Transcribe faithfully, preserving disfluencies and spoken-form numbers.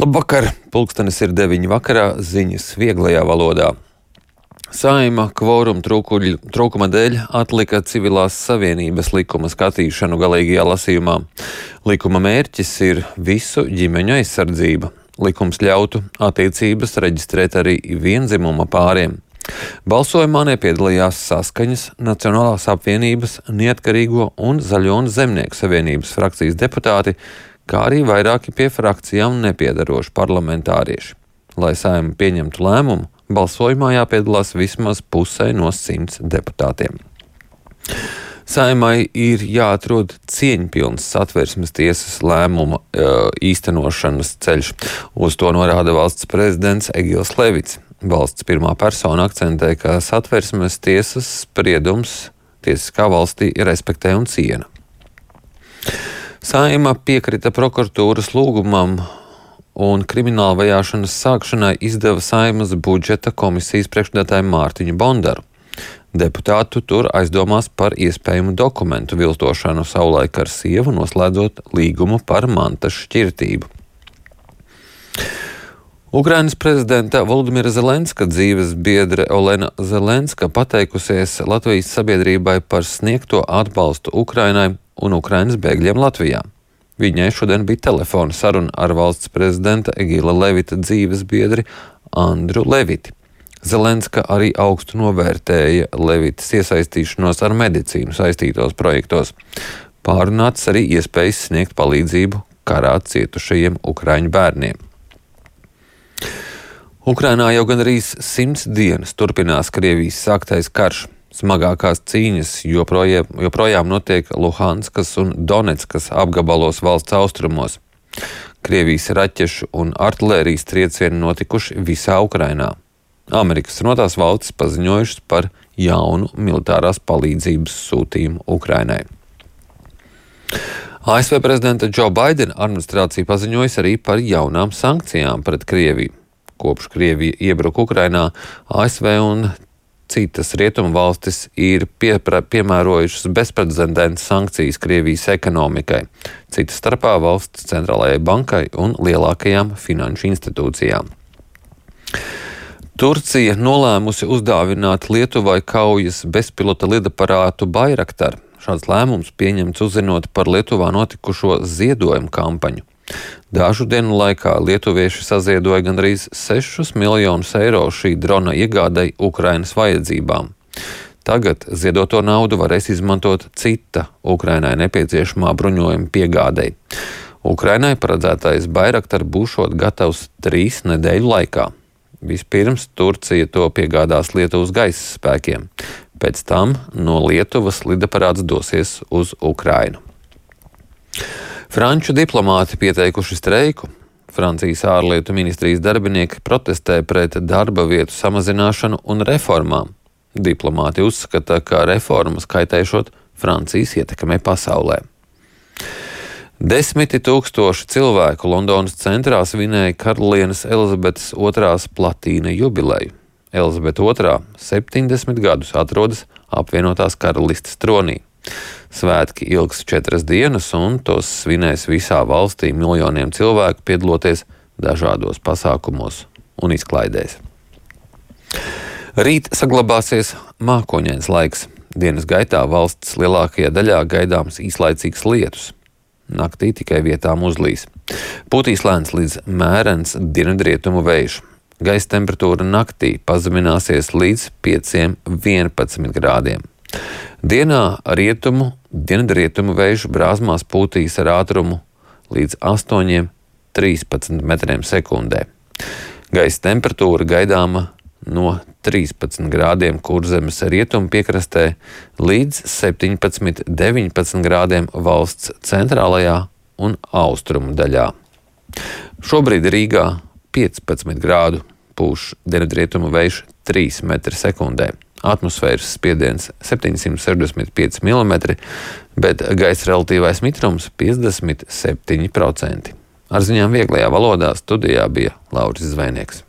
Labvakar! Pulkstenis ir deviņi vakarā, ziņas vieglajā valodā. Saeima kvoruma trūkuma dēļ atlika civilās savienības likuma skatīšanu galīgajā lasījumā. Likuma mērķis ir visu ģimeņu aizsardzība. Likums ļautu attiecības reģistrēt arī vienzimuma pāriem. Balsojumā nepiedalījās Saskaņas, Nacionālās apvienības, Neatkarīgo un Zaļo un Zemnieku savienības frakcijas deputāti, kā arī vairāki pie frakcijām nepiedaroši parlamentārieši. Lai Saeima pieņemtu lēmumu, balsojumā jāpiedalās vismaz pusē no simts deputātiem. Saeimai ir jāatrod cieņpilns Satversmes tiesas lēmuma e, īstenošanas ceļš. Uz to norāda valsts prezidents Egils Levits. Valsts pirmā persona akcentē, ka Satversmes tiesas spriedums tiesiskā valstī respektē un ciena. Saeima piekrita prokuratūras lūgumam un krimināla vajāšanas sākšanai izdeva Saeimas budžeta komisijas priekšsēdētāju Mārtiņu Bondaru. Deputātu tur aizdomās par iespējamu dokumentu viltošanu savulaik ar sievu, noslēdzot līgumu par mantas šķirtību. Ukrainas prezidenta Volodimira Zelenska dzīves biedre Olena Zelenska pateikusies Latvijas sabiedrībai par sniegto atbalstu Ukrainai un Ukrainas bēgļiem Latvijā. Viņai šodien bija telefona saruna ar valsts prezidenta Egila Levita dzīves biedri Andru Leviti. Zelenska arī augstu novērtēja Levitas iesaistīšanos ar medicīnu saistītos projektos. Pārunāts arī iespējas sniegt palīdzību karā cietušajiem ukraiņu bērniem. Ukrainā jau gandrīz simts dienas turpinās Krievijas sāktais karš. Smagākās cīņas joprojām, joprojām notiek Luhanskas un Donetskas apgabalos valsts austrumos. Krievijas raķešu un artilērijas triecieni notikuši visā Ukrainā. Amerikas Savienotās valstis paziņojušas par jaunu militārās palīdzības sūtījumu Ukrainai. A S V prezidenta Džo Baidena administrācija paziņojas arī par jaunām sankcijām pret Krieviju. Kopš Krievija iebruka Ukrainā, A S V un citas rietumu valstis ir piepra, piemērojušas bezprecedenta sankcijas Krievijas ekonomikai, citas starpā valsts centrālajai bankai un lielākajām finanšu institūcijām. Turcija nolēmusi uzdāvināt Lietuvai kaujas bezpilota lidaparātu Bayraktar. Šāds lēmums pieņemts uzzinot par Lietuvā notikušo ziedojumu kampaņu. Dažu dienu laikā lietuvieši saziedoja gandrīz sešus miljonus eiro šī drona iegādai Ukrainas vajadzībām. Tagad ziedoto naudu varēs izmantot cita Ukrainai nepieciešamā bruņojuma piegādei. Ukrainai paredzētais Bayraktar būšot gatavs trīs nedēļu laikā. Vispirms Turcija to piegādās Lietuvas gaisa spēkiem. Pēc tam no Lietuvas lidaparāts dosies uz Ukrainu. Franču diplomāti pieteikuši streiku. Francijas ārlietu ministrijas darbinieki protestē pret darba vietu samazināšanu un reformām. Diplomāti uzskata, ka reformas kaitēšot Francijas ietekmei pasaulē. Desmiti tūkstoši cilvēku Londonas centrā svinēja karalienes Elizabetes otrās platīna jubileju. Elizabete otrā septiņdesmit gadus atrodas apvienotās karalistes tronī. Svētki ilgs četras dienas, un tos svinēs visā valstī miljoniem cilvēku, piedaloties dažādos pasākumos un izklaidēs. Rīt saglabāsies mākoņains laiks. Dienas gaitā valsts lielākajā daļā gaidāms īslaicīgs lietus. Naktī tikai vietām uzlīs. Pūtīs lēns līdz mērens dienvidrietumu vējš. Gaisa temperatūra naktī pazemināsies līdz pieciem vienpadsmit grādiem. Dienā rietumu, dienvidrietumu vēju brāzmās pūtīs ar ātrumu līdz astoņiem trīspadsmit metriem sekundē. Gaisa temperatūra gaidāma no trīspadsmit grādiem Kurzemes rietumu piekrastē līdz septiņpadsmit deviņpadsmit grādiem valsts centrālajā un austrumu daļā. Šobrīd Rīgā piecpadsmit grādu, pūš dienvidrietumu vējš trīs metri sekundē. Atmosfēras spiediens septiņsimt sešdesmit pieci milimetri, bet gaisa relatīvais mitrums piecdesmit septiņi procenti. Ar ziņām vieglajā valodā studijā bija Lauris Zvejnieks.